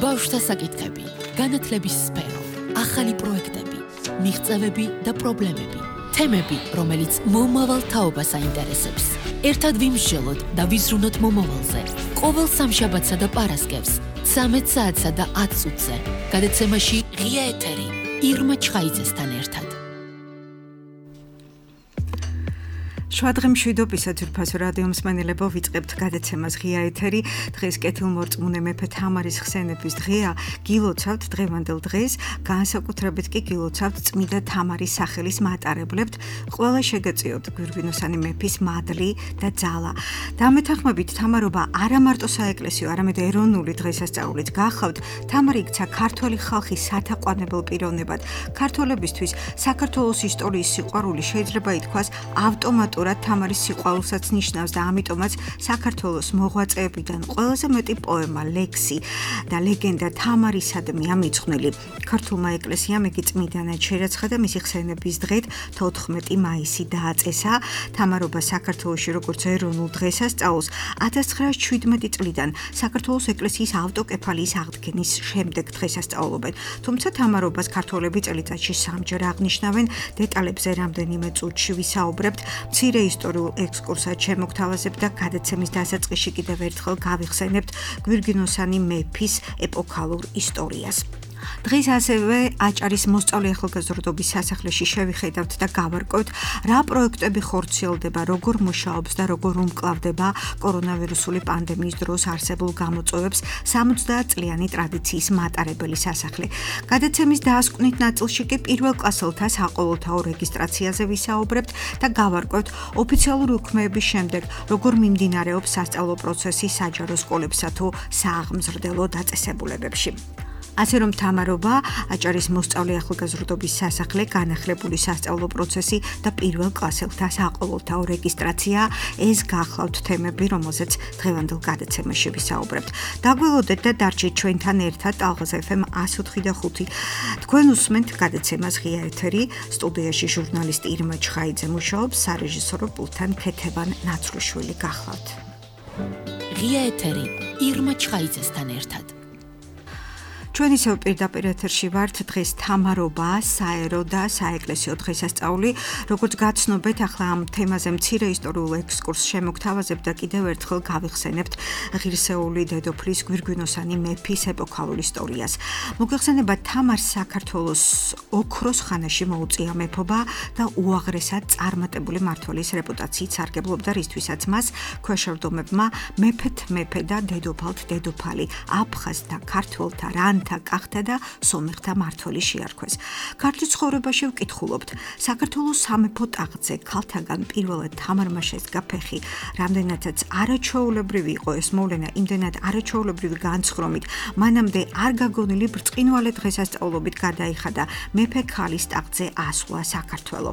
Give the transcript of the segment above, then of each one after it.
ბავშვთა საკითხები, განათლების სფერო, ახალი პროექტები, მიღწევები და პრობლემები, თემები, რომელიც მომავალ თაობას აინტერესებს. ერთად ვიმსჯელოთ და ვიზრუნოთ მომავალზე. ყოველ სამშაბათსა და პარასკევს, 13 საათსა და 10 წუთზე. გადაცემაში ღია ეთერი, ირმა ჩხაიძესთან ერთად. შვადღე მშვიდობისა ძვირფასო რადიო მსმენელებო, ვიწყებთ გადაცემას ღია ეთერი. დღეს კეთილმორწმუნე მეფე თამარის ხსენების დღეა. გილოცავთ დღევანდელ დღეს, განსაკუთრებით კი გილოცავთ წმიდა თამარის სახელის მატარებლებთ. ყველა შეგეწიოთ გვირგვინოსანი მეფის მადლი და ძალა. დამეთანხმებით თამარობა არა მარტო საეკლესიო, არამედ ეროვნული დღესასწაულიც გახავთ. თამარი იქცა ქართველი ხალხის სათაყვანებელ პიროვნებად. ქართველებისთვის საქართველოს ისტორიის სიყვარული შეიძლება ითქვას ავტომატურად თამარის სიყვარულსაც ნიშნავს და ამიტომაც საქართველოს მოღვაწეებიდან ყველაზე მეტი პოემა, ლექსი და ლეგენდა თამარისადმი ამიძღვნილი. ქართულმა ეკლესიამ იგი წმიდანად შერაცხა და მისი ხსენების დღედ 14 მაისი დააწესა. თამარობა საქართველოში როგორც ეროვნულ დღესასწაულს 1917 წლიდან საქართველოს ეკლესიის ავტოკეფალიის აღდგენის შემდეგ დღესასწაულობენ. თუმცა თამარობას ქართველები წელიწადში 3-ჯერ აღნიშნავენ. დეტალებზე რამდენიმე წუთში ვისაუბრებთ. მცირე ისტორიულ ექსკურსად შემოგთავაზებთ და გადაცემის დასაწყისში კიდევ ერთხელ გავიხსენებთ გვირგვინოსანი მეფის ეპოქალურ ისტორიას. დღეს ასევე აჭარის მოსწავლე ახალგაზრდობის სასახლეში შევიხედავთ და გავარკვევთ, რა პროექტები ხორციელდება, როგორ მუშაობს და როგორ უმკლავდება კორონავირუსული პანდემიის დროს არსებულ გამოწვევებს 70 წლიანი ტრადიციის მატარებელი სასახლე. გადაცემის დასკვნით ნაწილში კი პირველ კლასელთა საყოველთაო რეგისტრაციაზე ვისაუბრებთ და გავარკვევთ ოფიციალური უქმეების შემდეგ, როგორ მიმდინარეობს სასწავლო პროცესი საჯარო სკოლებსა თუ სააღმზრდელო დაწესებულებებში. ასე რომ თამარობა, აჭარის მოსწავლე ახალგაზრდობის სასახლე, განახლებული სასწავლო პროცესი და პირველ კლასელთა საყოველთაო რეგისტრაცია, ეს გახლავთ თემები, რომელზეც დღევანდელ გადაცემაში ვისაუბრებთ. დაგველოდეთ და დარჩით ჩვენთან ერთად ტალღაზ FM 104.5. თქვენ უსმენთ გადაცემას ღია ეთერი, სტუდიაში ჟურნალისტი ირმა ჩხაიძე მუშაობს, სარეჟისორო პულტთან ქეთევან ნაცრუშვილი გახლავთ. ღია ეთერი, ირმა ჩხაიძესთან ერთად. ჩვენ ისევ პირდაპირ ეთერში ვართ. დღეს თამარობა, საერო და საეკლესიო დღესასწაული. როგორც გაცნობეთ, ახლა ამ თემაზე მცირე ისტორიულ ექსკურსს შემოგთავაზებთ და კიდევ ერთხელ გავიხსენებთ ღირსეული დედოფლის გვირგვინოსანი მეფის ეპოქალურ ისტორიას. მოგეხსენებათ, თამარს საქართველოს ოქროს ხანაში მოუწია მეფობა და უაღრესად წარმატებული მმართველის რეპუტაციით სარგებლობდა, რისთვისაც მას ქვეშევრდომებმა მეფეთ მეფე და დედოფალთ დედოფალი, აფხაზთა, ქართველთა, კახთა და სომეხთა მმართველი შეარქვეს. ქართლის ცხოვრებაში ვკითხულობთ, საქართველოს სამეფო ტახტზე ქალთაგან პირველად თამარმა შესდგა ფეხი. რამდენადაც არაჩვეულებრივი იყო ეს მოვლენა, იმდენად არაჩვეულებრივი განცხრომით, მანამდე არ გაგონილი ბრწყინვალე დღესასწაულობით გადაიხადა მეფე ქალის ტახტზე ასვლა საქართველო.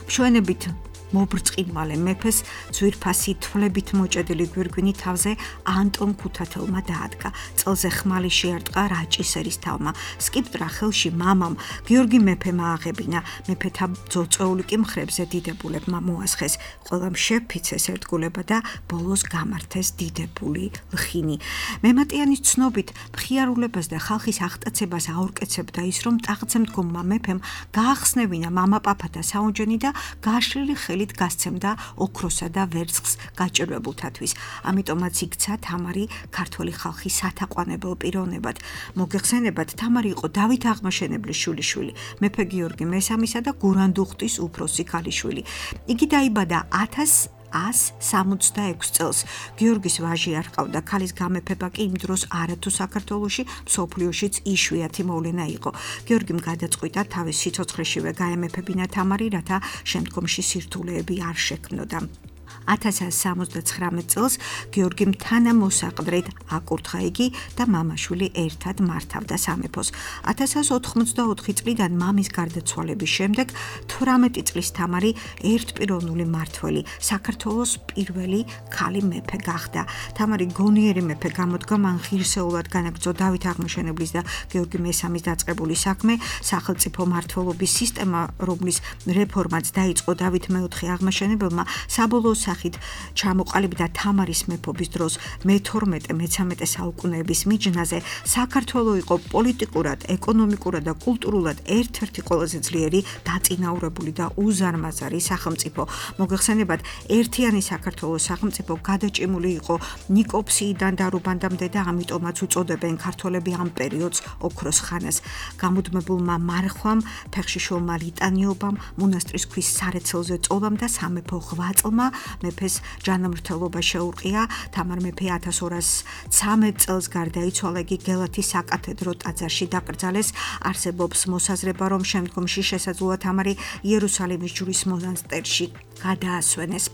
მშვენებით მობრწყინვალე მეფეს ძვირფასი თვლებით მოჭედილი გვირგვინი თავზე ანტონ ქუთათელმა დაადგა. წელზე ხმალი შეარტყა რაჭისერის თავმა. სკიპტრა ხელში მამამ გიორგი მეფემ ააღებინა. მეფეთა ძოწეული კი მხრებზე დიდებულებმა მოასხეს. ყველა შეფიცეს ერთგულება და ბოლოს გამართეს დიდებული ლხინი. მემატიანის ცნობით მხიარულებას და ხალხის აღტაცებას აორკეცებდა ის, რომ ტახტზე მდგომმა მეფემ გაახსნევინა მამა-პაპა და საუნჯენი და გაშლილი ხელი გასცემდა ოქროსა და ვერცხლს გაჭირვებულთათვის. ამიტომაც იქცა თამარი ქართველი ხალხის სათაყვანებელ პიროვნებად. მოგეხსენებათ, თამარი იყო დავით აღმაშენებლის შვილიშვილი, მეფე გიორგი მესამისა და გურანდუხტის უფროსი ქალიშვილი. იგი დაიბადა 1166 წელს. გიორგის ვაჟი არ ჰყავდა, ქალის გამეფება კი იმ დროს არათუ საქართველოში, მსოფლიოშიც იშვიათი მოვლენა იყო. გიორგიმ გადაწყვიტა თავის სიცოცხლეშივე გაემეფებინა თამარი, რათა შემდგომში სირთულეები არ შექმნოდა. 1169 წელს გიორგიმ თანამოსაყდრედ აკურთხა იგი და მამა-შვილი ერთად მართავდა სამეფოს. 1184 წლიდან მამის გარდაცვალების შემდეგ 18 წლის თამარი ერთპიროვნული მმართველი, საქართველოს პირველი ქალი მეფე გახდა. თამარი გონიერი მეფე გამოდგა, მან ღირსეულად განაგრძო დავით აღმაშენებლის და გიორგი მესამის დაწყებული საქმე, სახელმწიფო მმართველობის სისტემა, რომლის რეფორმაც დაიწყო დავით მეოთხე აღმაშენებელმა, საბოლოო სახით ჩამოყალიბდა თამარის მეფობის დროს მე-12-13 საუკუნეების მიჯნაზე, საქართველო იყო პოლიტიკურად, ეკონომიკურად და კულტურულად ერთ-ერთი ყველაზე ძლიერი, დაწინაურებული და უზარმაზარი სახელმწიფო. მოგეხსენებათ, ერთიანი საქართველოს სახელმწიფო გადაჭიმული იყო ნიკოფსიიდან და რუბანდამდე და ამიტომაც უწოდებენ ქართველები ამ პერიოდს ოქროს ხანას. გამუდმებულმა მარხვამ, ფეხშიშულმა ლიტანიობამ, მონასტრის ქვის სარეცელზე წოლამ და სამეფო ღვაწლმა მეფეს ჯანმრთელობა შეურყია. თამარ მეფე 1213 წელს გარდაიცვალა, იგი გელათის საკათედრო ტაძარში დაკრძალეს. არსებობს მოსაზრება, რომ შემდგომში შესაძლოა თამარი იერუსალიმის ჯვრის მონასტერში გადაასვენეს.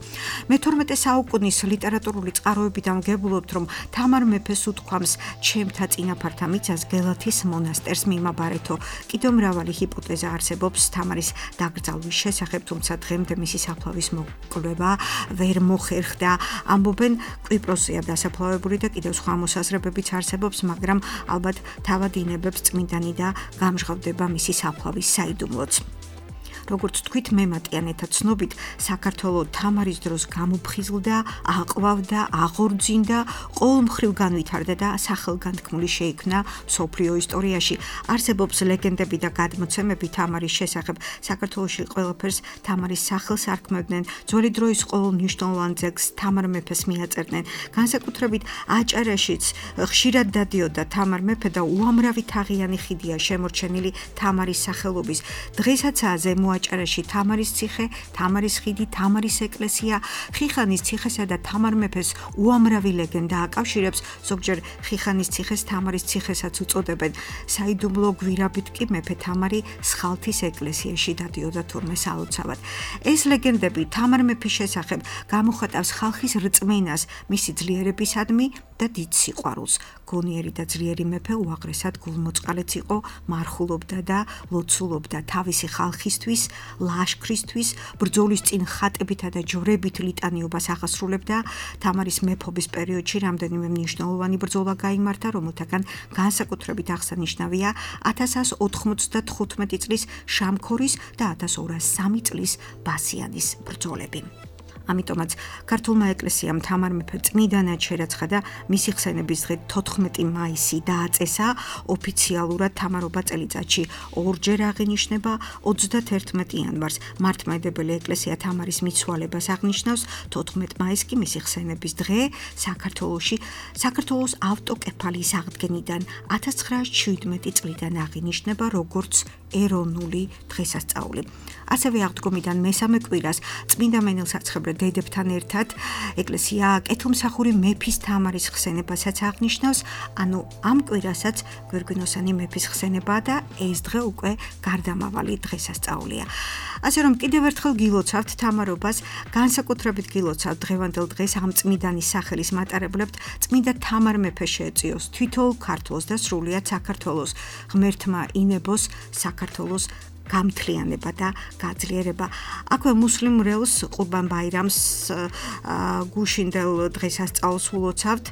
მე-12 საუკუნის ლიტერატურული წყაროებიდან ვგებულობთ, რომ თამარ მეფეს უთქვამს ჩემთა წინაპართა მიწას გელათის მონასტერს მიმაბარეთო. კიდევ მრავალი ჰიპოთეზა არსებობს თამარის დაკრძალვის შესახებ, თუმცა დღემდე მისი საფლავის მოკვლევა ვერ მოხერხდა. ამბობენ, კვიპროსია დასაფლავებული და კიდევ სხვა მოსაზრებებიც არსებობს, მაგრამ ალბათ თავად ინებებს წმინდანი და გამჟღავდება მისი საფლავის საიდუმლოც. როგორც თქვით, მემატიანეთა ცნობით, საქართველო თამარის დროს გამოფხიზლდა, აყვავდა, აღორძინდა, ყოველმხრივ განვითარდა და სახელგანთქმული შეიქმნა მსოფლიო ისტორიაში. არსებობს ლეგენდები და გადმოცემები თამარის შესახებ. საქართველოში ყველაფერს თამარის სახელს არქმევდნენ. ძველი დროის ყოველ მნიშვნელოვან ძეგლს თამარ მეფეს მიაწერდნენ. განსაკუთრებით აჭარაშიც ხშირად დადიოდა თამარ მეფე და უამრავი თაღიანი ხიდია შემორჩენილი თამარის სახელობის. დღეისაცაა ზემო აჭარაში თამარის ციხე, თამარის ხიდი, თამარის ეკლესია. ხიხანის ციხესა და თამარ მეფეს უამრავი ლეგენდა აკავშირებს, ზოგჯერ ხიხანის ციხეს თამარის ციხესაც უწოდებენ. საიდუმლო გვირაბით კი მეფე თამარი სხალთის ეკლესიაში დადიოდა თურმე სალოცავად. ეს ლეგენდები თამარ მეფის შესახებ გამოხატავს ხალხის რწმენას მისი ძლიერებისადმი და დიდ სიყვარულს. გონიერი და ძლიერი მეფე უაღრესად გულმოწყალეც იყო, მარხულობდა და ლოცულობდა თავისი ხალხისთვის, ლაშქრისთვის, ბრძოლის წინ ხატებითა და ჯვრებით ლიტანიობას აღასრულებდა. თამარის მეფობის პერიოდში რამდენიმე მნიშვნელოვანი ბრძოლა გაიმართა, რომელთაგან განსაკუთრებით აღსანიშნავია 1195 წლის შამქორის და 1203 წლის ბასიანის ბრძოლები. ამიტომაც ქართულმა ეკლესიამ თამარ მეფე წმიდანად შერაცხა და მისი ხსენების დღე 14 მაისი დააწესა. ოფიციალურად თამარობა წელიწადში ორჯერ აღინიშნება. 31 იანვარს მართლმადიდებელი ეკლესია თამარის მიცვალებას აღნიშნავს, 14 მაისს კი მისი ხსენების დღე. საქართველოს ავტოკეფალიის აღდგენიდან 1917 წლიდან აღინიშნება როგორც ეროვნული დღესასწაული. ასევე აღდგომიდან მესამე კვირას წმინდა მენელსაცხებრე დედებთან ერთად ეკლესია კეთილმსახური მეფის თამარის ხსენებასაც აღნიშნავს, ანუ ამ კვირასაც გვირგვინოსანი მეფის ხსენებაა და ეს დღე უკვე გარდამავალი დღესასწაულია. ასე რომ კიდევ ერთხელ გილოცავთ თამარობას, განსაკუთრებით გილოცავთ დღევანდელ დღეს ამ წმინდანის სახელის მატარებლებთ წმინდა თამარ მეფე შეეწიოს თითოეულ ქართველს და სრულიად საქართველოს. ღმერთმა ინებოს საქართველოს გამთლიანება და გაძლიერება. აქვე მუსლიმურელს ყურბან ბაირამს გუშინდელ დღესასწაულს ულოცავთ.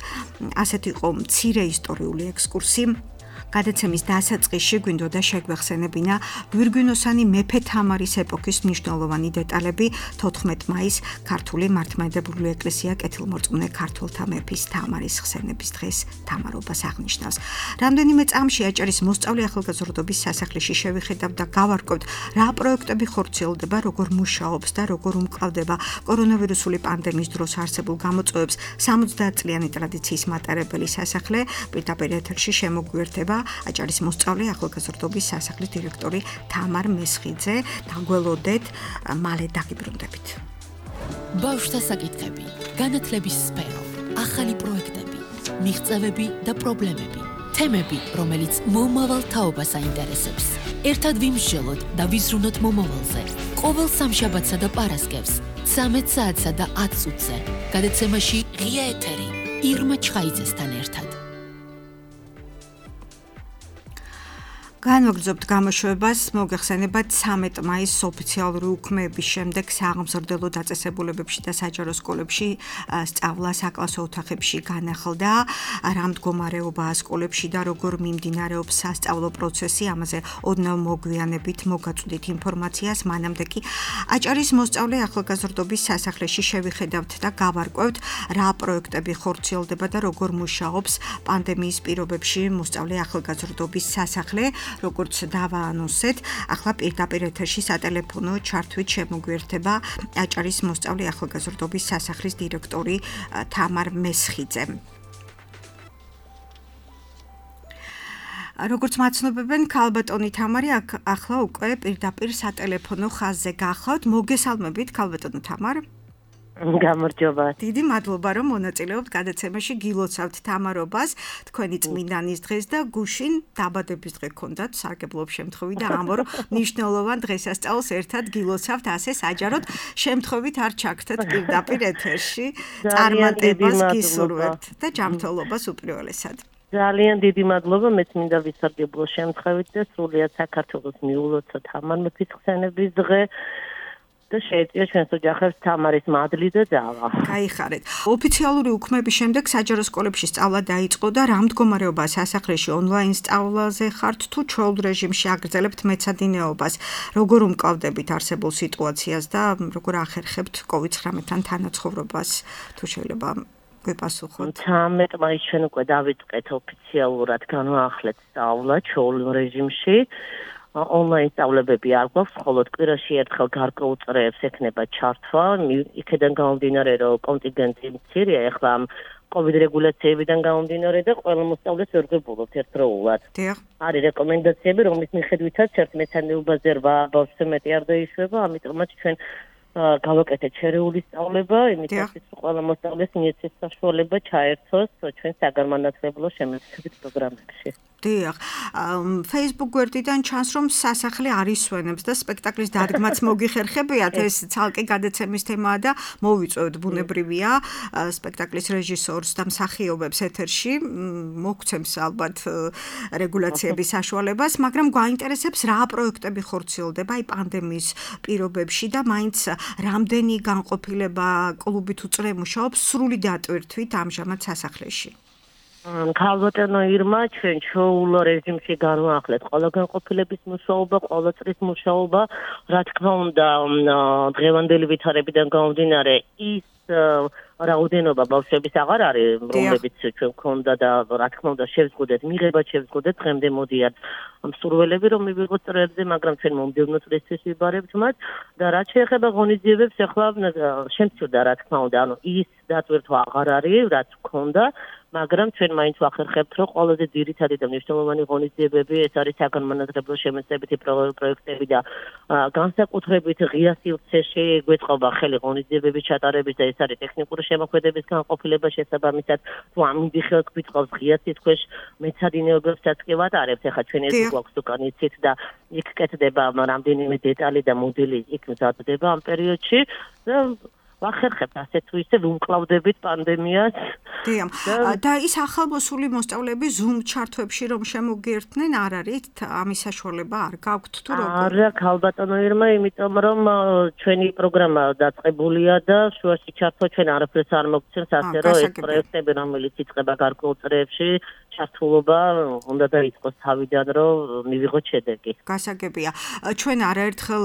ასეთ იყო მცირე ისტორიული ექსკურსი. გადაცემის დასაწყისში გვინდოდა შეგვეხსენებინა გვირგვინოსანი მეფე თამარის ეპოქის მნიშვნელოვანი დეტალები. 14 მაისს ქართული მართლმადიდებელი ეკლესია კეთილმორწმუნე ქართველთა მეფის თამარის ხსენების დღეს თამარობას აღნიშნავს. რამდენიმე წამში აჭარის მოსწავლე ახალგაზრდობის სასახლეში შევიხედავ და გავარკვევთ, რა პროექტები ხორციელდება, როგორ მუშაობს და როგორ უმკლავდება კორონავირუსული პანდემიის დროს არსებულ გამოწვევებს 70 წლიანი ტრადიციის მატარებელი სასახლე. პირდაპირ ეთერში შემოგვიერთება აჭარის მოსწავლე ახალგაზრდობის სასახლის დირექტორი თამარ მესხიძე. დაგველოდეთ, მალე დაგიბრუნდებით. ბავშვთა საკითხები, განათლების სფერო, ახალი პროექტები, მიღწევები და პრობლემები, თემები, რომელიც მომავალ თაობას აინტერესებს. ერთად ვიმსჯელოთ და ვიზრუნოთ მომავალზე. ყოველ სამშაბათსა და პარასკევს 13 საათსა და 10 წუთზე. გადაცემაში ღია ეთერი ირმა ჩხაიძესთან ერთად. განვაგრძობთ გამოშვებას, მოგეხსენებათ 13 მაისს ოფიციალური უქმეების შემდეგ სააღმზრდელო დაწესებულებებში და საჯარო სკოლებში სწავლა საკლასო ოთახებში განახლდა. რა მდგომარეობაა სკოლებში და როგორ მიმდინარეობს სასწავლო პროცესი, ამაზე ოდნავ მოგვიანებით მოგაწვდით ინფორმაციას, მანამდე კი აჭარის მოსწავლე ახალგაზრდობის სასახლეში შევიხედავთ და გავარკვევთ, რა პროექტები ხორციელდება და როგორ მუშაობს პანდემიის პირობებში მოსწავლე ახალგაზრდობის სასახლე. როგორც დავაანონსეთ, ახლა პირდაპირ ეთერში სატელეფონო ჩართვით შემოგვიერთდება აჭარის მოსწავლე ახალგაზრდობის სასახლის დირექტორი თამარ მესხიძე. როგორც მაცნობებენ, ქალბატონი თამარი ახლა უკვე პირდაპირ სატელეფონო ხაზზე გახლავთ. მოგესალმებით, ქალბატონო თამარ. გამარჯობა. დიდი მადლობა, რომ მონაწილეობთ გადაცემაში. გილოცავთ თამარობას თქვენი წმინდანის დღეს და გუშინ დაბადების დღე გქონდათ, სარგებლობ შემთხვევით და ამბობ, მნიშვნელოვან დღესასწაულს ერთად გილოცავთ, ასე საჯაროდ შემთხვევით არ ჩაგდეთ პირდაპირ ეთერში. წარმატებას გისურვებთ და ჯანმრთელობას უპირველესად. ძალიან დიდი მადლობა, მეც მინდა ვისარგებლო შემთხვევით და სრულიად საქართველოს მიულოცოთ თამარ მეფის ხსენების დღე. და შეეწია ჩვენს ოჯახებს თამარის მადლი და ძალა. გაიხარეთ. ოფიციალური უქმების შემდეგ საჯარო სკოლებში სწავლა დაიწყო და რა მდგომარეობაა სასახლეში ონლაინ სწავლაზე ხართ თუ ჩვეულ რეჟიმში აგრძელებთ მეცადინეობას? როგორ უმკლავდებით არსებულ სიტუაციას და როგორ ახერხებთ COVID-19-თან თანაცხოვრებას? თუ შეიძლება გვეპასუხოთ. 13 მაისს ჩვენ უკვე დავიწყეთ ოფიციალურად განვაახლეთ სწავლა ჩვეულ რეჟიმში. Online სწავლებები არ გვაქვს, მხოლოდ კვირაში ერთხელ გარკვეულ წრეებს ექნება ჩართვა, იქედან გამომდინარე, რომ კონტინგენტი მცირეა, ახლა COVID რეგულაციებიდან გამომდინარე და ყველა მოსწავლეს ვერ გვებულობთ ერთდროულად. არის რეკომენდაციები, რომლის მიხედვითაც ერთ მეცადინეობაზე 8 ბავშვზე მეტი არ დაიშვება, ამიტომაც ჩვენ გავაკეთეთ შერეული სწავლება, იმითაც რომ ყველა მოსწავლეს მიეცეს საშუალება ჩაერთოს ჩვენ საგანმანათლებლო შემეცნებით პროგრამებში. დიახ, Facebook გვერდიდან ჩანს, რომ სასახლე არ ისვენებს და სპექტაკლის დადგმაც მოგიხერხებიათ, ეს ცალკე გადაცემის თემაა და მოვიწვევთ, ბუნებრივია, სპექტაკლის რეჟისორს და მსახიობებს ეთერში, მოგცემს ალბათ რეგულაციების საშუალებას, მაგრამ გვაინტერესებს რა პროექტები ხორციელდება აი პანდემიის პირობებში და მაინც რამდენი განყოფილება კლუბით უწრე მუშაობს სრული დატვირთვით ამჟამად სასახლეში. ქალბატონო ირმა, ჩვენ ჩვეულ რეჟიმში განვაახლეთ ყველა განყოფილების მუშაობა, ყველა წრის მუშაობა, რა თქმა უნდა, დღევანდელი ვითარებიდან გამომდინარე ის რაოდენობა ბავშვების აღარ არის, რომლებიც ჩვენ გქონდა და რა თქმა უნდა შევზღუდეთ, მიღებად შევზღუდეთ, დღემდე მოდიან მსურველები, რომ მივიღოთ წრეებზე, მაგრამ ჩვენ მომდევნო წრისთვის ვიბარებთ მათ და რაც შეეხება ღონისძიებებს, ახლა შემცირდა რა თქმა უნდა, ანუ ის დატვირთვა აღარ არის, რაც გქონდა, მაგრამ ჩვენ მაინც ვახერხებთ, რომ ყველაზე ძირითადი და მნიშვნელოვანი ღონისძიებები ეს არის საგანმანათლებლო შემეცნებითი პროექტები და განსაკუთრებით ღია სივრცეში გვეწყობა ხელი ღონისძიებების ჩატარების და ეს არის ტექნიკური შემოქმედების განყოფილება შესაბამისად თუ ამინდი ხელს გვიწყობს ღია სიტყვეშ მეცადინეობებსაც კი ვატარებთ, ახლა ჩვენ ეს გვაქვს უკან იცით და იქ კეთდება რამდენიმე დეტალი და მოდელი იქ მზადდება ამ პერიოდში და ვახერხებთ ასე თუ ისე ვუმკლავდებით პანდემიას. და ის ახალმოსული მოსწავლეები Zoom ჩართვებში რომ შემოგიერთნენ, არ არის ამის საშუალება არ გაქვთ თუ როგორ? არა, ქალბატონო ირმა, იმიტომ რომ ჩვენი პროგრამა დაწყებულია და შუაში ჩართვა ჩვენ არაფერს არ მოგცემს, ასე რომ ეს პროექტები, რომელიც იწყება გარკვეულ წრეებში, ჩართულობა უნდა დაიწყოს თავიდან, რომ მივიღოთ შედეგი. გასაგებია. ჩვენ არაერთხელ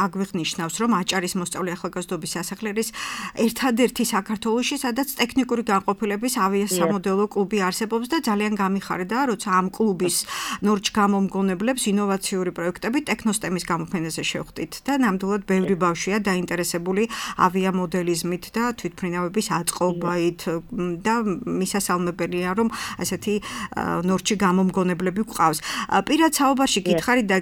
აგვიხნიშნავს, რომ აჭარის მოსწავლე ახალგაზრდობის სასახლე ერთადერთი საქართველოში, სადაც ტექნიკური განყოფილების ავიასამოდელო კლუბი არსებობს და ძალიან გამიხარდა, როცა ამ კლუბის ნორჩ-გამომგონებლებს ინოვაციური პროექტები ტექნოსტემის გამოფენაზე შევხვდით და ნამდვილად ბევრი ბავშვია დაინტერესებული ავიამოდელიზმით და თვითმფრინავების აწყობით და მისასალმებელია, რომ ასეთი ნორჩი გამომგონებლები გვყავს. პირად საუბარში გითხარით და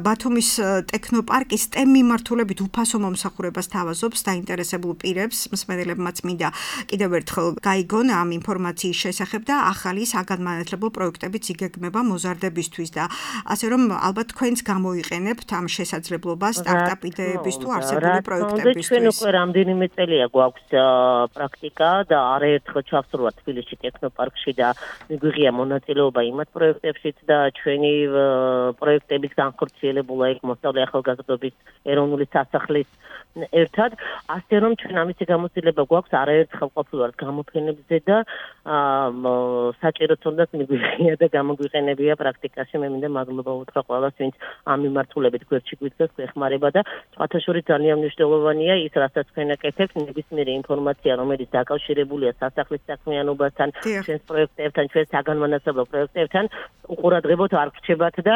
ბათუმის ტექნოპარკის STEM მიმართულებით უფასო მომსახურებას თავაზობს დაინტერესებული პირებს, მსმენელებმაც მინდა კიდევ ერთხელ გაიგონ ამ ინფორმაციის შესახებ და ახალი საგანმანათლებლო პროექტებიც იგეგმება მოზარდებისთვის და ასე რომ ალბათ თქვენც გამოიყენებთ ამ შესაძლებლობას სტარტაპ იდეების თუ არსებული პროექტებისთვის. ჩვენ უკვე რამდენიმე წელია გვაქვს პრაქტიკა და არაერთხელ ჩავსრულვართ თბილისში ტექნოპარკში და მიგვიღია ღია მონაწილეობა იმათ პროექტებშიც და ჩვენი პროექტების განხორციელებულა იქ მოსწავლე ახალგაზრდობის ეროვნული სასახლის ერთად, ასე რომ ჩვენ ამისი გამოცდილება გვაქვს არაერთხელ ყოფილვართ გამოფენებზე და საჭიროც უნდათ მიგვიღია და გამოგვიყენებია პრაქტიკაში. მე მინდა მადლობა უთხრა ყველას, ვინც ამ მიმართულებით გვერდში გვიდგას, გვეხმარება და სხვათა შორის ძალიან მნიშვნელოვანია ის, რასაც თქვენ აკეთებთ, ნებისმიერი ინფორმაცია, რომელიც დაკავშირებულია სასახლის საქმიანობასთან, ჩვენს პროექტებთან, ჩვენს საგანმანათლებლო პროექტებთან, უყურადღებოდ არ გრჩებათ და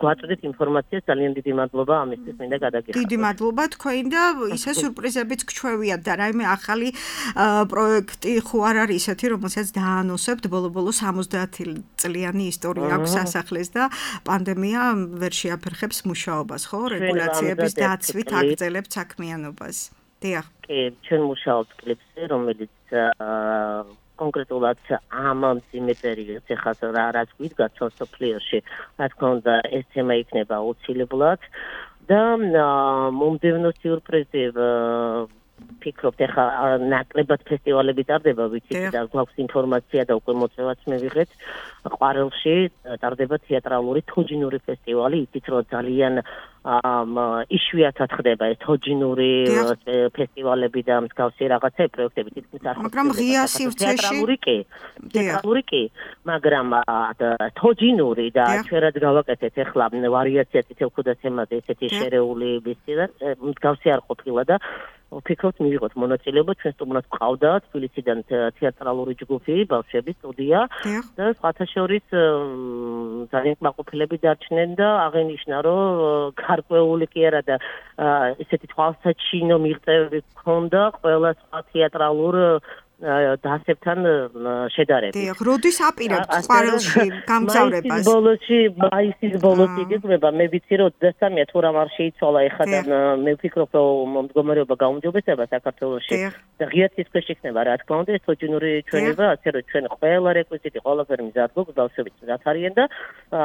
გვაწვდით ინფორმაციას. ძალიან დიდი მადლობა ამისთვის მინდა გადაგიხადოთ. დიდი მადლობა თქვენ და ისე სურპრიზებიც გჩვევიათ და რაიმე ახალი პროექტი ხო არ არის ისეთი, რომელსაც დაანონსებთ, ბოლო-ბოლო 70 წლიანი ისტორია აქვს სასახლეს და პანდემია ვერ შეაფერხებს მუშაობას, ხო? რეგულაციების დაცვით აგრძელებთ საქმიანობას. დიახ. კი, ჩვენ მუშაობთ კლიპზე, რომელიც კონკრეტულად ამ მძიმე პერიოდს ეხლა რაც გვიდგა სოფლიოში, რა თქმა უნდა, ეს თემა იქნება აუცილებლად და მომდევნო სიურპრიზი ფიქრობთ, ეხლა ნაკლებად ფესტივალები ტარდება, ვიცით და გვაქვს ინფორმაცია და უკვე მოწევაც მივიღეთ. ყვარელში ტარდება თეატრალური თოჯინური ფესტივალი, იცით რომ ძალიან იშვიათად ხდება ეს თოჯინური ფესტივალები და მსგავსი რაღაცა პროექტები თითქმის არ ხდება. მაგრამ ღია სივრცეში თეატრალური კი, მაგრამ თოჯინური და ჩვენ რაც გავაკეთეთ ეხლა ვარიაცია თითოეულ თემაზე ესეთი შერეული მსგავსი არ ყოფილა და ვფიქრობთ მივიღოთ მონაწილეობა, ჩვენ სტუმრად გვყავდა თბილისიდან თეატრალური ჯგუფი, ბავშვების სტუდია და სხვათა შორის ძალიან კმაყოფილები დარჩნენ და აღენიშნა, რომ გარკვეული კი არა და ესეთი თვალსაჩინო მიღწევები ჰქონდა ყველა სხვა თეატრალურ დასებთან შედარებით. დიახ, როდის აპირებთ ყვარელში გამგზავრებას? მაისის ბოლოს იგეგმება, მე ვიცი რომ 23-ია თუ რამ არ შეიცვალა ეხლა და მე ვფიქრობ რომ მდგომარეობა გაუმჯობესება საქართველოში და ღია ცის იქნება რა თქმა უნდა ეს თოჯინური ჩვენება, ასე რომ ჩვენ ყველა რეკვიზიტი ყველაფერი მზად გვაქვს, ბავშვებიც მზად არიან და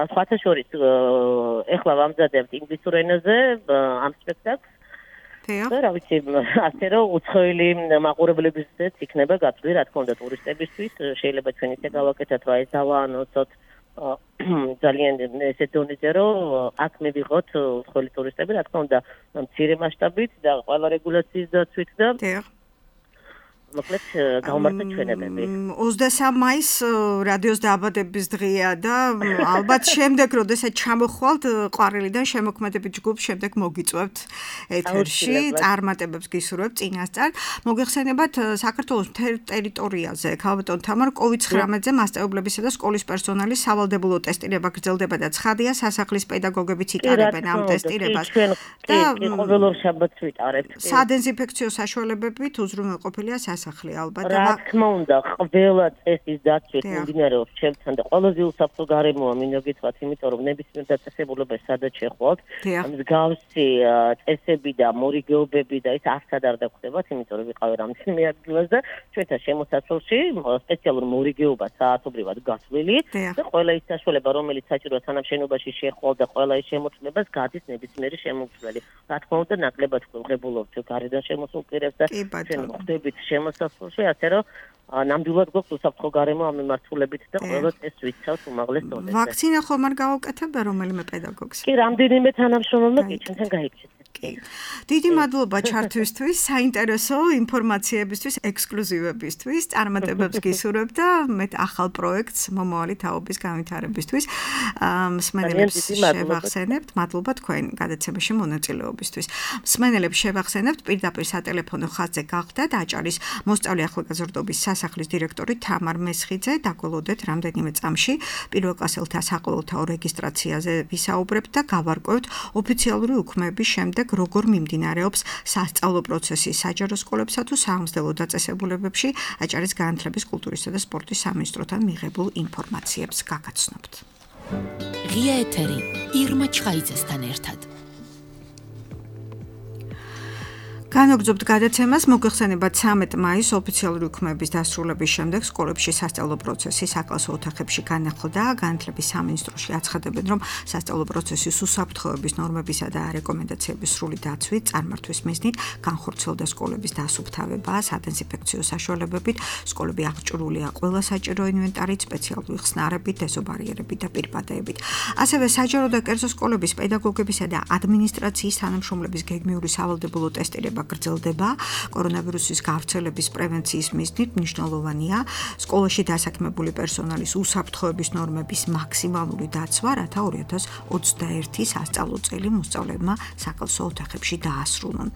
სხვათა შორის ეხლა ვამზადებთ ინგლისურ ენაზე ამ სპექტაკლს. და რა ვიცი, ასე რომ უცხოელი მაყურებლებისთვისაც იქნება გაწვდი, რა თქმა უნდა, ტურისტებისთვის, შეიძლება ჩვენ ისე გავაკეთოთ, რომ ეს დავაანონსოთ ძალიან ესე დონეზე, რომ აქ მივიღოთ უცხოელი ტურისტები, რა თქმა უნდა, მცირე მასშტაბით და ყველა რეგულაციის დაცვით და მოკლედ გავმართოთ ჩვენებები. 23 მაისს რადიოს დააბადების დღეა და ალბათ შემდეგ, როდესაც ჩამოხვალთ ყვარელიდან შემოქმედებით ჯგუფს, შემდეგ მოგიწვევთ ეთერში, წარმატებებს გისურვებთ წინასწარ. მოგეხსენებათ საქართველოს მთელ ტერიტორიაზე, ქალბატონ თამარ COVID-19-ზე მასწავლებლებისა და სკოლის პერსონალის სავალდებულო ტესტირება გრძელდება და ცხადია, სასახლის პედაგოგებიც იტარებენ ამ ტესტირებას. და ყოველ შაბათს ვიტარებთ. სადეზინფექციო საშუალებებით უზრუნველყოფილია სასახლე ალბათ. რა თქმა უნდა, ყველა წესის დაცვით მიმდინარეობს ჩემთან და ყველაზე უსაფრთხო გარემოა მინდა გითხრათ, იმიტომ რომ ნებისმიერ დაწესებულებას სადაც შეხვალთ, მსგავსი წესები და მორიგეობები და ის არცად არ დაგხვდებათ, იმიტომ რომ ვიყავი რამდენიმე ადგილას და ჩვენთან შემოსასვლელში სპეციალურ მორიგეობა საათობრივად გასვლილი და ყველა ის საშუალება, რომელიც საჭიროა თანამშენობაში შეხვალ და ყველა ის შემოწმებას გადის ნებისმიერი შემომცვლელი. რა თქმა უნდა, ნაკლებად გვხვდებულობთ გარედან შემოსულ პირებს და ჩვენ ხვდებით შემოსასვლელში, ასე რომ ნამდვილად გვაქვს უსაფრთხო გარემო ამ მიმართულებით და ყველა წეს ვიცავთ უმაღლეს დონეზე. ვაქცინა ხომ არ გაუკეთებდა რომელიმე პედაგოგს? კი, რამდენიმე თანამშრომელმა კი ჩვენთან გაიქცეთ. დიდი მადლობა ჩართვისთვის, საინტერესო ინფორმაციებისთვის, ექსკლუზივებისთვის, წარმატებებს გისურვებთ და მე ახალ პროექტს მომავალი თაობის განვითარებისთვის მსმენელებს შევახსენებთ. მადლობა თქვენ გადაცემაში მონაწილეობისთვის. მსმენელებს შევახსენებთ პირდაპირ სატელეფონო ხაზზე გახდათ აჭარის მოსწავლე ახალგაზრდობის სასახლის დირექტორი თამარ მესხიძე, დაგველოდეთ რამდენიმე წამში პირველ კლასელთა საყოველთაო რეგისტრაციაზე ვისაუბრებთ და გავარკვევთ ოფიციალური უქმეების შემდეგ როგორ მიმდინარეობს სასწავლო პროცესი საჯარო სკოლებსა თუ საამსდელო დაწესებულებებში აჭარის განათლების, კულტურისა და სპორტის სამინისტროსთან მიღებულ ინფორმაციებს გაგაცნობთ. ღია ეთერი ირმა ჩხაიძესთან ერთად. განაგრძობთ გადაცემას, მოგეხსენებათ 13 მაისს ოფიციალური უქმეების დასრულების შემდეგ სკოლებში სასწავლო პროცესი საკლასო ოთახებში განახლდა. განათლების სამინისტროში აცხადებენ, რომ სასწავლო პროცესის უსაფრთხოების ნორმებისა და რეკომენდაციების სრული დაცვით წარმართვის მიზნით განხორციელდა სკოლების დასუფთავება, სადეზინფექციო საშუალებებით, სკოლები აღჭურვილია ყველა საჭირო ინვენტარით, სპეციალური ხსნარებით, დეზობარიერებით და პირბადეებით. ასევე საჯარო და კერძო სკოლების პედაგოგებისა და ადმინისტრაციის თანამშრომლების გეგმიური სავალდებულო ტესტირება გრძელდება. კორონავირუსის გავრცელების პრევენციის მიზნით მნიშვნელოვანია სკოლაში დასაქმებული პერსონალის უსაფრთხოების ნორმების მაქსიმალური დაცვა, რათა 2021 სასწავლო წელი მოსწავლეებმა საკლასო ოთახებში დაასრულონ.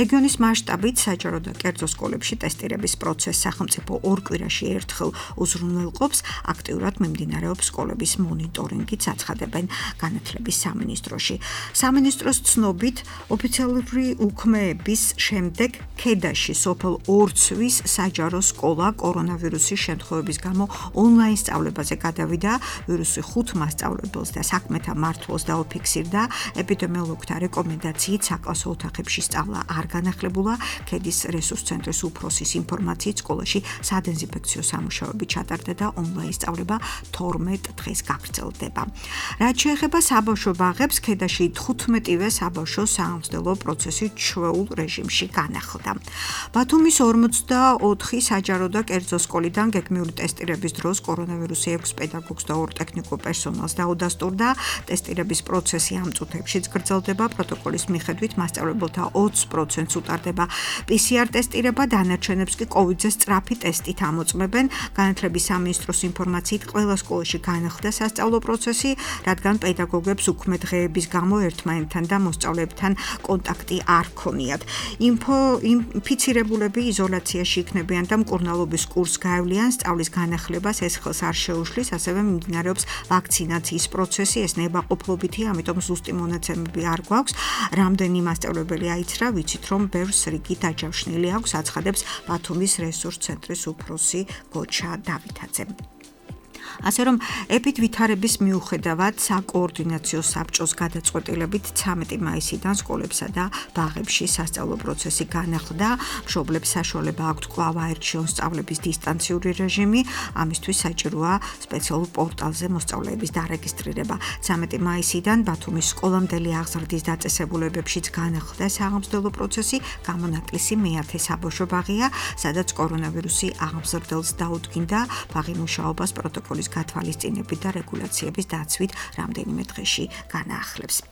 რეგიონის მასშტაბით საჯარო და კერძო სკოლებში ტესტირების პროცესს სახელმწიფო ორ კვირაში ერთხელ უზრუნველყოფს, აქტიურად მიმდინარეობს სკოლების მონიტორინგიც აცხადებენ განათლების სამინისტროში. სამინისტროს ცნობით ოფიციალური უქმეების შემდეგ ქედაში სოფელ ორცვის საჯარო სკოლა კორონავირუსის შემთხვევების გამო ონლაინ სწავლებაზე გადავიდა. ვირუსი 5 მასწავლებელს და საქმეთა მართვას დაუფიქსირდა. ეპიდემიოლოგთა რეკომენდაციით საკლასო ოთახებში სწავლა არ განახლებულა. ქედის რესურს ცენტრის უფროსის ინფორმაციით სკოლაში სადეზინფექციო სამუშაოები ჩატარდა და ონლაინ სწავლება 12 დღეს გაგრძელდება. რაც შეეხება საბავშვო ბაღებს, ქედაში 15-ვე საბავშვო საამსხლელო პროცესი ჩვეულ რეჟიმში განახლდა. ბათუმის 44 საჯარო და კერძო სკოლიდან გეგმიური ტესტირების დროს კორონავირუსი 6 პედაგოგს და 2 ტექნიკურ პერსონალს დაუდასტურდა. ტესტირების პროცესი ამ წუთებშიც გრძელდება. პროტოკოლის მიხედვით მასწავლებელთა 20%-ს უტარდება PCR ტესტირება, დანარჩენებს კი COVID-ზე სწრაფი ტესტით ამოწმებენ. განათლების სამინისტროს ინფორმაციით ყველა სკოლაში განახლდა სასწავლო პროცესი, რადგან პედაგოგებს უქმე დღეების გამო ერთმანეთთან და მოსწავლეებთან კონტაქტი არ ჰქონიათ. ინფიცირებულები იზოლაციაში იქნებიან და მკურნალობის კურსს გაევლიან. სწავლის განახლებას ეს ხელს არ შეუშლის, ასევე მიმდინარეობს ვაქცინაციის პროცესი, ეს ნებაყოფლობითია, ამიტომ ზუსტი მონაცემები არ გვაქვს. რამდენი მასწავლებელი აიცრა, ვიცით, რომ ბევრს რიგი დაჯავშნილი აქვს, აცხადებს ბათუმის რესურს ცენტრის უფროსი გოჩა დავითაძე. ასე რომ ეპიდ ვითარების მიუხედავად საკოორდინაციო საბჭოს გადაწყვეტილებით 13 მაისიდან სკოლებსა და ბაღებში სასწავლო პროცესი განახლდა. მშობლებს საშუალება აქვთ კვლავ აერჩიონ სწავლების დისტანციური რეჟიმი, ამისთვის საჭიროა სპეციალურ პორტალზე მოსწავლეების დარეგისტრირება. 13 მაისიდან ბათუმის სკოლამდელი აღზრდის დაწესებულებებშიც განახლდა საამსხლელო პროცესი. გამონაკლისი მეათე საბავშვო ბაღია, სადაც კორონავირუსი აღმზრდელს დაუდგინდა. ბაღი მუშაობას პროტოკოლის გათვალისწინებით და რეგულაციების დაცვით რამდენიმე დღეში განაახლებს.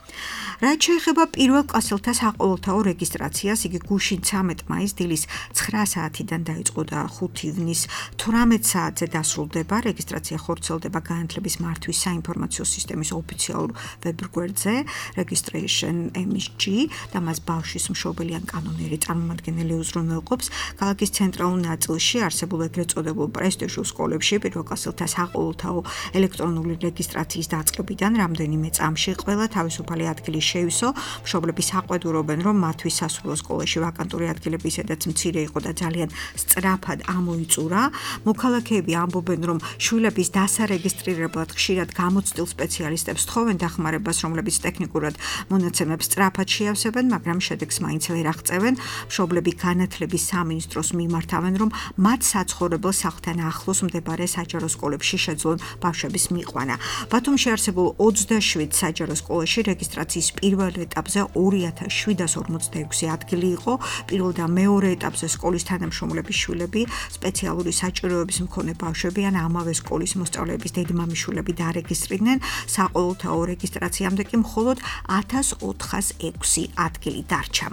რაც შეეხება პირველ კლასელთა საყოველთაო რეგისტრაციას, იგი გუშინ 13 მაისს დილის 9 საათიდან დაიწყო და 5 ივნის 18 საათზე დასრულდება. რეგისტრაცია ხორციელდება განათლების მართვის საინფორმაციო სისტემის ოფიციალურ ვებგვერდზე registration MSG და მას ბავშვის მშობელი ან კანონიერი წარმომადგენელი უზრუნველყოფს. ქალაქის ცენტრალურ ნაწილში არსებულ ეგრეთ წოდებულ პრესტიჟულ სკოლებში პირველ კლასელთა საყოველთაო ელექტრონული რეგისტრაციის დაწყებიდან რამდენიმე წამში ყველა თავისუფალი ადგილი შეივსო. მშობლები საყვედურობენ, რომ მათთვის სასულო სკოლაში ვაკანტური ადგილები ისედაც მცირე იყო და ძალიან სწრაფად ამოიწურა. მოქალაქეები ამბობენ, რომ შვილების დასარეგისტრირებლად ხშირად გამოცდილ სპეციალისტებს თხოვენ დახმარებას, რომლებიც ტექნიკურად მონაცემებს სწრაფად შეავსებენ, მაგრამ შედეგს მაინც ვერ აღწევენ. მშობლები განათლების სამინისტროს მიმართავენ, რომ მათ საცხოვრებელ სახლთან ახლოს მდებარე საჯარო სკოლებში შეძლონ ბავშვების მიყვანა. ბათუმში არსებულ 27 საჯარო სკოლაში რეგისტრაციის პირველ ეტაპზე 2746 ადგილი იყო. პირველ და მეორე ეტაპზე სკოლის თანამშრომლების შვილები, სპეციალური საჭიროების მქონე ბავშვები ან ამავე სკოლის მოსწავლეების დედმამიშვილები დარეგისტრირდნენ. საყოველთაო რეგისტრაციამდე კი მხოლოდ 1406 ადგილი დარჩა.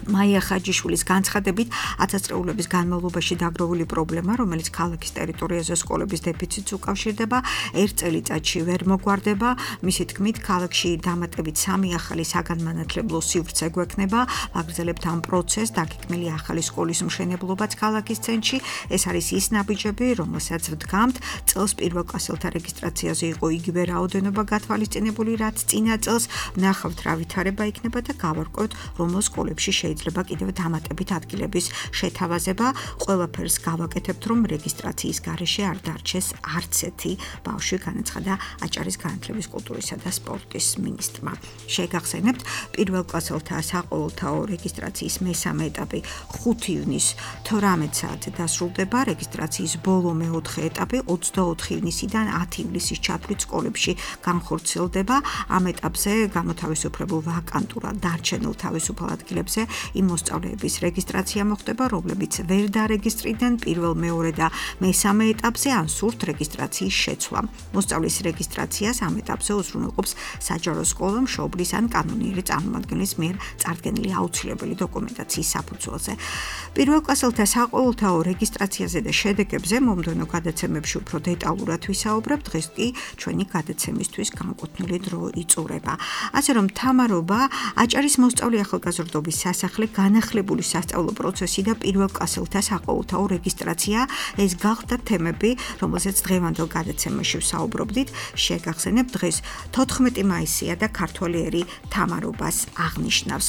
მაია ხაჯიშვილის განცხადებით, ათასწლეულების განმავლობაში დაგროვილი პრობლემა, რომელიც ქალაქის ტერიტორიაზე სკოლების დეფიციტს უკავშირდება, ერთ წელიწადში ვერ მოგვარდება. მისი თქმით, ქალაქში დამატებით 3 ახალი საგანმანათლებლო სივრცე გვექნება. ვაგრძელებთ ამ პროცესს, დაგეგმილი ახალი სკოლის მშენებლობაც ქალაქის ცენტრში. ეს არის ის ნაბიჯები, რომელსაც ვდგამთ. წელს პირველ კლასელთა რეგისტრაციაზე იყო იგივე რაოდენობა გათვალისწინებული, რაც წინა წელს. ვნახავთ, რა ვითარება იქნება და გავარკვევთ, რომელ სკოლებში შეიძლება შეიძლება კიდევ დამატებით ადგილების შეთავაზება. ყველაფერს გავაკეთებთ, რომ რეგისტრაციის გარეშე არ დარჩეს არც ერთი ბავშვი, განაცხადა აჭარის განათლების, კულტურისა და სპორტის მინისტრმა. შეგახსენებთ, პირველ კლასელთა საყოველთაო რეგისტრაციის მესამე ეტაპი 5 ივნის 18 საათზე დასრულდება. რეგისტრაციის ბოლო მეოთხე ეტაპი 24 ივნისიდან 10 ივლისის ჩათვლით სკოლებში განხორციელდება. ამ ეტაპზე გამოთავისუფლებულ ვაკანტურად დარჩენილ თავისუფალ ადგილებზე იმ მოსწავლეების რეგისტრაცია მოხდება, რომლებიც ვერ დარეგისტრირდნენ პირველ, მეორე და მესამე ეტაპზე ან სურთ რეგისტრაციის შეცვლა. მოსწავლის რეგისტრაციას ამ ეტაპზე უზრუნველყოფს საჯარო სკოლა, მშობლის ან კანონიერი წარმომადგენლის მიერ წარდგენილი აუცილებელი დოკუმენტაციის საფუძველზე. პირველ კლასელთა საყოველთაო რეგისტრაციაზე და შედეგებზე მომდევნო გადაცემებში უფრო დეტალურად ვისაუბრებთ. დღეს კი ჩვენი გადაცემისთვის განკუთვნილი დრო იწურება. ასე რომ თამარობა, აჭარის მოსწავლე ახალგაზრდობის სასახლე, განახლებული სასწავლო პროცესი და პირველ კლასელთა საყოველთაო რეგისტრაცია, ეს გახდა თემები, რომელზეც დღევანდელ გადაცემაში ვსაუბრობდით. შეგახსენებთ, დღეს 14 მაისია და ქართველი ერი თამარობას აღნიშნავს.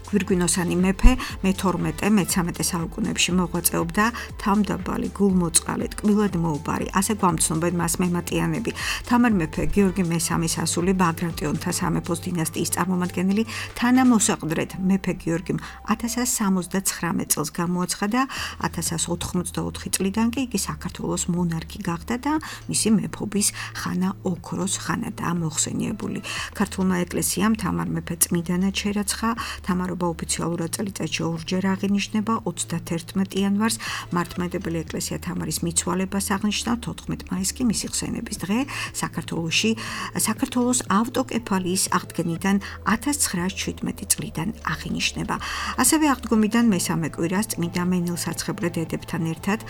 გვირგვინოსანი მეფე მე-12-მე-13 საუკუნეებში მოღვაწეობდა თავმდაბალი, გულმოწყალე, ტკბილად მოუბარი, ასე გვამცნობენ მას მემატიანები. თამარ მეფე გიორგი მე-3 ასული ბაგრატიონთა სამეფოს დინასტიის წარმომადგენელი, თანამოსაყდრედ მეფე გიორგიმ 1079 წელს გამოაცხადა. 1084 წლიდან კი იგი საქართველოს მონარქი გახდა და მისი მეფობის ხანა ოქროს ხანადაა მოხსენიებული. ქართულმა ეკლესიამ თამარ მეფე წმიდანად შერაცხა. თამარობა ოფიციალურად წელიწადში ორჯერ აღინიშნება. 31 იანვარს მართლმადიდებელი ეკლესია თამარის მიცვალებას აღნიშნა, 14 მაისს კი მისი ხსენების დღე. საქართველოს ავტოკეფალიის აღდგენიდან 1917 წლიდან აღინიშნება. ასევე აღდგომიდან მესამე კვირას წმინდა მენელსაცხებლე დედებთან ერთად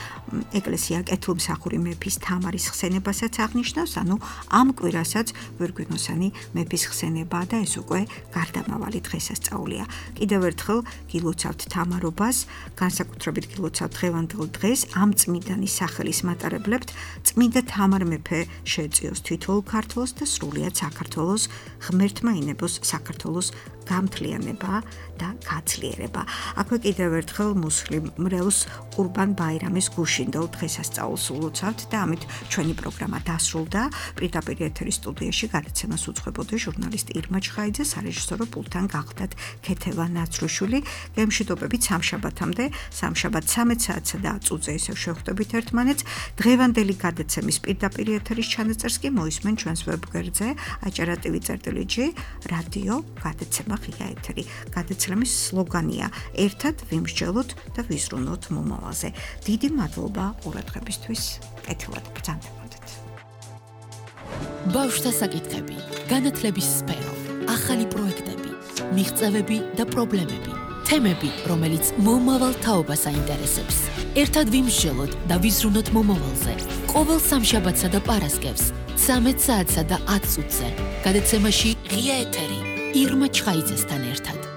ეკლესია კეთილმსახური მეფის თამარის ხსენებასაც აღნიშნავს, ანუ ამ კვირასაც გვირგვინოსანი მეფის ხსენებაა და ეს უკვე გარდამავალი დღესასწაულია. კიდევ ერთხელ გილოცავთ თამარობას, განსაკუთრებით გილოცავთ დღევანდელ დღეს, ამ წმინდანის სახელის მატარებლებთ. წმინდა თამარ მეფე შეეწიოს თითოეულ ქართველს და სრულიად საქართველოს ღმერთმა ინებოს საქართველოს გამთლიანება და გაცლიერება. აქვე კიდევ ერთხელ მუსლიმ მრევლს ყურბან ბაირამის გუშინდელ დღესასწაულს ულოცავთ და ამით ჩვენი პროგრამა დასრულდა. პირდაპირ ეთერის სტუდიაში გადაცემას უძღვებოდა ჟურნალისტი ირმა ჩხაიძე, სარეჟისორო პულტთან გახდათ ქეთევა ნაცრუშვილი. გემშვიდობებით სამშაბათამდე, სამშაბათ 13 საათსა და 10 წუთზე ისევ შევხვდებით ერთმანეთს. დღევანდელი გადაცემის პირდაპირ ეთერის ჩანაწერს კი მოისმენ ჩვენს ვებგვერდზე acara.tv.g რადიო გადაცემა ღია ეთერი. გადაცემის სლოგანია ერთად ვიმსჯელოთ და ვიზრუნოთ მომავალზე. დიდი მადლობა ყურადღებისთვის. კეთილად ბრძანდებოდეთ. ბავშვთა საკითხები, განათლების სფერო, ახალი პროექტები, მიღწევები და პრობლემები. თემები, რომელიც მომავალ თაობას აინტერესებს. ერთად ვიმსჯელოთ და ვიზრუნოთ მომავალზე. ყოველ სამშაბათსა და პარასკევს 13 საათსა და 10 წუთზე. გადაცემაში ღია ეთერი ირმა ჩხაიძესთან ერთად.